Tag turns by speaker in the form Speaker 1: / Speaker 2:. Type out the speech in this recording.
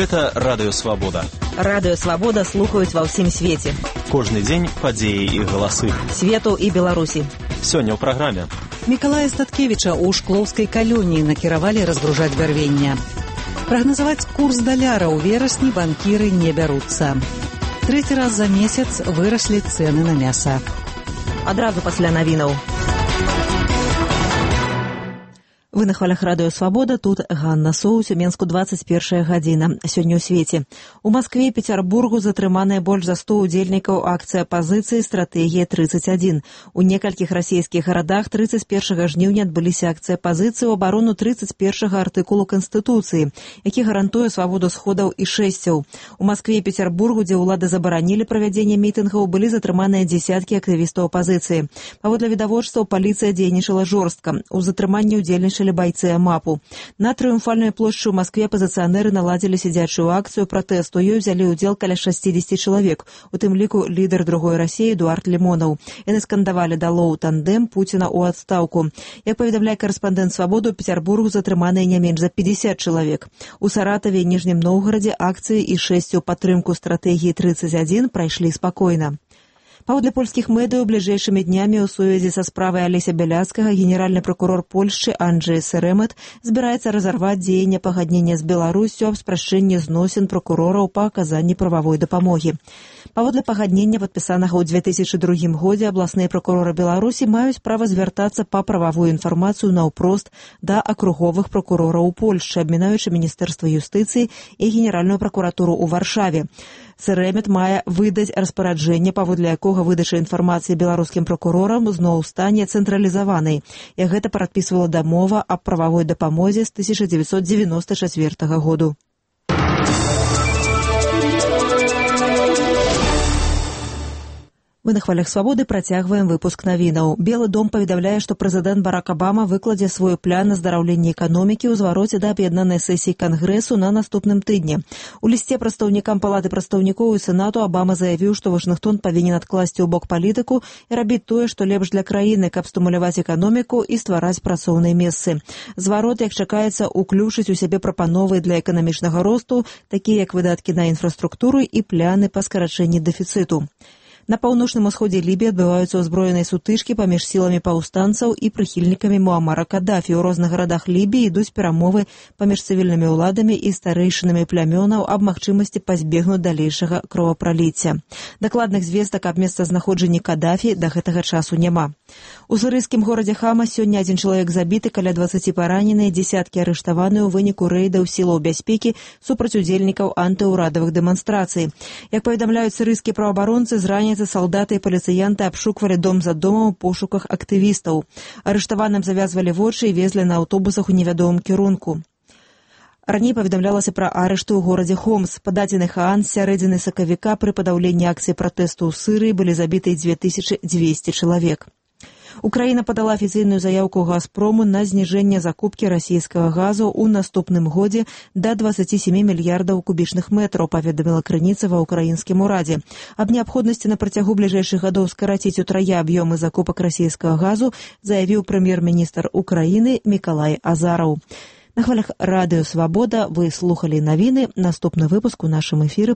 Speaker 1: Гэта Радыё Свабода.
Speaker 2: Радыё Свабода слухаюць ва ўсім свеце.
Speaker 1: Кожны дзень падзеі і галасы.
Speaker 2: Свету і Беларусі.
Speaker 1: Сёння ў праграме.
Speaker 3: Мікалая Статкевіча ў шклоўскай калоніі накіравалі разгружаць бярвенне. Прагназаваць курс даляра ў верасні банкіры не бяруцца. Трэці раз за месяц выраслі цэны на мяса.
Speaker 2: Адразу пасля навінаў. Вы на хвалях Радыё Свабода, тут Ганна Соус, у Менску 21 гадзіна. Сёння ў свеце. У Маскве і Пецярбургу затрыманыя больш за 100 удзельнікаў акцыі апазіцыі «Стратэгія 31». У некалькіх расійскіх гарадах 31 жніўня адбыліся акцыі апазіцыі ў абарону 31 артыкулу Канстытуцыі, які гарантуе свабоду сходаў і шэсцяў. У Маскве і Пецярбургу, дзе ўлады забаранілі правядзенне мітынгаў, былі затрыманыя дзесяткі актывістаў апазіцыі. Паводле відавочцаў, паліцыя дзейнічала жорстка. У затрыманні ўдзельнічалі байцы АМАПу. На Трыумфальнай плошчы ў Маскве апазіцыянеры наладзілі сядзячую акцыю пратэсту. Ёй узялі ўдзел каля 60 чалавек, у тым ліку лідар другой Расіі Эдуард Лімонаў. Яны скандавалі «Далоў тандем, Пуціна ў адстаўку». Як паведамляе карэспандэнт Свабоды, у Пецярбургу затрыманыя не менш за 50 чалавек. У Саратаве і Ніжнім Новгарадзе акцыі і шэсцю ў падтрымку стратэгіі 31 прайшлі спакойна. Паводле польскіх медыяў, бліжэйшымі днямі ў сувязі са справай Алеся Бяляцкага генеральны пракурор Польшчы Анджэй Серэмет збіраецца разарваць дзеянне пагаднення з Беларуссю аб спрашчэнні зносін пракурораў па аказанні прававой дапамогі. Паводле пагаднення, падпісанага ў 2002 годзе, абласныя пракуроры Беларусі маюць права звяртацца па прававую інфармацыю наўпрост да акруговых пракурораў у Польшчы, абмінаючы Міністэрства юстыцыі і Генеральную пракуратуру ў Варшаве. Серэмет мае выдаць распараджэнне, паводле якога выдача інфармацыі беларускім пракурорам зноў стане цэнтралізаванай. Як гэта прадпісвала дамова аб прававой дапамозе з 1994 году. Мы на хвалях Свабоды працягваем выпуск навінаў. Белы дом паведамляе, што прэзідэнт Барак Абама выкладзе свой план аздараўлення эканомікі ў звароце да аб'яднанай сесіі Кангрэсу на наступным тыдні. У лісце прадстаўнікам Палаты прадстаўнікоў і Сенату Абама заявіў, што Вашынгтон павінен адкласці ў бок палітыку і рабіць тое, што лепш для краіны, каб стымуляваць эканоміку і ствараць працоўныя месцы. Зварот, як чакаецца, уключыць у сябе прапановы для эканамічнага росту, такія як выдаткі на інфраструктуру і пляны па скарачэнні дэфіцыту. На паўночным усходзе Лібіі адбываюцца ўзброеныя сутычкі паміж сіламі паўстанцаў і прыхільнікамі Муамара Каддафі. У розных гарадах Лібіі ідуць перамовы паміж цывільнымі ўладамі і старэйшынамі плямёнаў аб магчымасці пазбегнуць далейшага кровапраліцця. Дакладных звестак аб месцазнаходжанні Каддафі да гэтага часу няма. У сірыйскім горадзе Хама сёння адзін чалавек забіты, каля 20 параненыя, дзесяткі арыштаваныя ў выніку рэйдаў сілаў бяспекі супраць удзельнікаў антыўрадавых дэманстрацый. Як паведамляюць сірыйскія праваабаронцы, з раніцы салдаты і паліцыянты абшуквалі дом за домам у пошуках актывістаў. Арыштаваным завязвалі вочы і везлі на аўтобусах у невядомым кірунку. Раней паведамлялася пра арышты ў горадзе Хомс. Па дадзеных ААН, з сярэдзіны сакавіка пры падаўленні акцыі пратэсту ў Сырыі былі забіты 2200 чалавек. Украіна падала афіцыйную заяўку «Газпрому» на зніжэнне закупкі расійскага газу ў наступным годзе да 27 мільярдаў кубічных метраў, паведаміла крыніца ва ўкраінскім урадзе. Аб неабходнасці на працягу бліжэйшых гадоў скараціць утрая аб'ёмы закупак расійскага газу заявіў прэм'ер-міністр Украіны Мікалай Азараў. На хвалях Радыё Свабода вы слухалі навіны. Наступны выпуск у нашым эфіры